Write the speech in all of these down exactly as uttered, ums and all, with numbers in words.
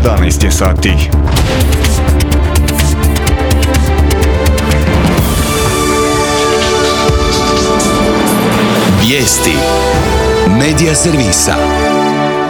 jedanaest je sati. Vijesti Medija servisa.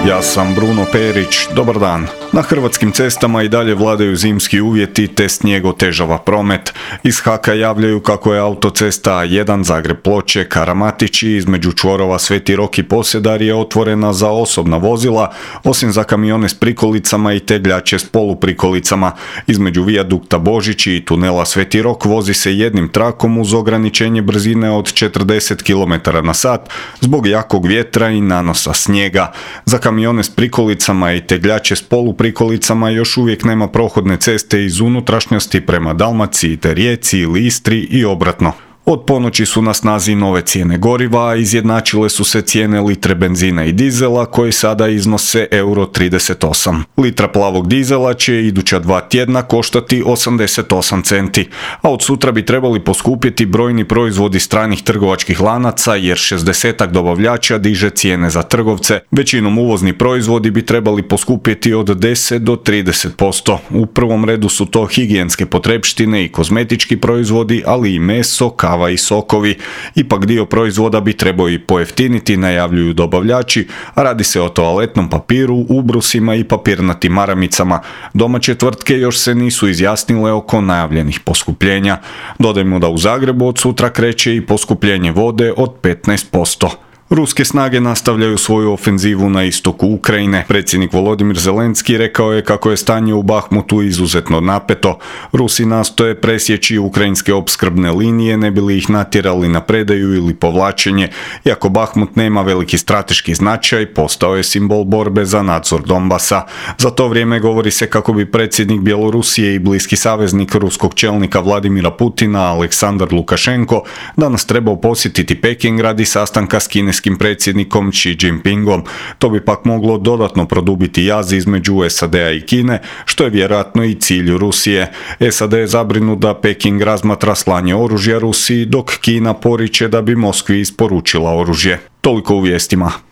Ja sam Bruno Perić, dobar dan. Na hrvatskim cestama i dalje vladaju zimski uvjeti te snijeg otežava promet. Iz Haka javljaju kako je autocesta A jedan Zagreb-Ploče, Karamatići između čvorova Sveti Rok i Posedarje je otvorena za osobna vozila, osim za kamione s prikolicama i tegljače s poluprikolicama. Između vijadukta Božići i tunela Sveti Rok vozi se jednim trakom uz ograničenje brzine od četrdeset kilometara na sat zbog jakog vjetra i nanosa snijega. Za kamione s prikolicama i tegljače s poluprikolicama još uvijek nema prohodne ceste iz unutrašnjosti prema Dalmaciji te Rijeci ili Istri i obratno. Od ponoći su na snazi nove cijene goriva, a izjednačile su se cijene litre benzina i dizela koji sada iznose euro trideset osam. Litra plavog dizela će iduća dva tjedna koštati osamdeset osam centi, a od sutra bi trebali poskupjeti brojni proizvodi stranih trgovačkih lanaca jer šezdesetak dobavljača diže cijene za trgovce. Većinom uvozni proizvodi bi trebali poskupjeti od deset do trideset posto. U prvom redu su to higijenske potrepštine i kozmetički proizvodi, ali i meso, kava i sokovi. Ipak dio proizvoda bi trebao i pojeftiniti, najavljuju dobavljači, a radi se o toaletnom papiru, ubrusima i papirnatim maramicama. Domaće tvrtke još se nisu izjasnile oko najavljenih poskupljenja. Dodajmo da u Zagrebu od sutra kreće i poskupljenje vode od petnaest posto. Ruske snage nastavljaju svoju ofenzivu na istoku Ukrajine. Predsjednik Volodimir Zelenski rekao je kako je stanje u Bahmutu izuzetno napeto. Rusi nastoje presjeći ukrajinske opskrbne linije, ne bi li ih natjerali na predaju ili povlačenje. Iako Bahmut nema veliki strateški značaj, postao je simbol borbe za nadzor Donbasa. Za to vrijeme govori se kako bi predsjednik Bjelorusije i bliski saveznik ruskog čelnika Vladimira Putina, Aleksandar Lukašenko, danas trebao posjetiti Peking radi sastanka s kineskim predsjednikom Xi Jinpingom. To bi pak moglo dodatno produbiti jaz između S A D-a i Kine, što je vjerojatno i cilj Rusije. S A D je zabrinut da Peking razmatra slanje oružja Rusiji, dok Kina poriče da bi Moskvi isporučila oružje. Toliko u vijestima.